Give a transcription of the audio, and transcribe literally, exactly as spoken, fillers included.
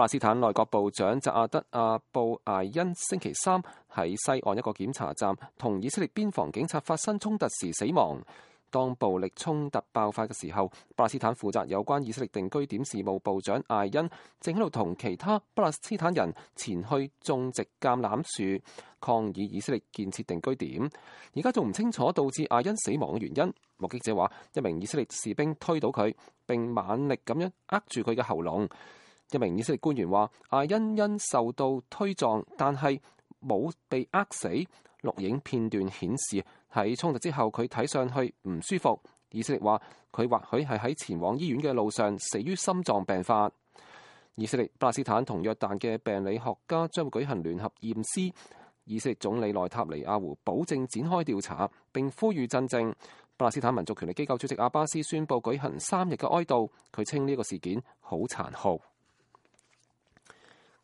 巴勒斯坦內閣部長扎阿德阿布艾恩星期三喺西岸一個檢查站同以色列邊防警察發生衝突時死亡。當暴力衝突爆發嘅時候，巴勒斯坦負責有關以色列定居點事務部長艾恩正喺度同其他巴勒斯坦人前去種植橄欖樹，抗議以色列建設定居點。而家仲唔清楚導致艾恩死亡嘅原因。目擊者話，一名以色列士兵推倒佢，並猛力咁樣扼住佢嘅喉嚨。一名以色列官員話，艾恩因受到推撞，但係冇被扼死。錄影片段顯示喺衝突之後，佢睇上去唔舒服。以色列話佢或許係喺前往醫院嘅路上死於心臟病發。以色列、巴勒斯坦同約旦嘅病理學家將會舉行聯合驗屍。以色列總理內塔尼亞胡保證展開調查，並呼籲鎮靜。巴勒斯坦民族權力機構主席阿巴斯宣布舉行三日嘅哀悼。佢稱呢個事件好殘酷。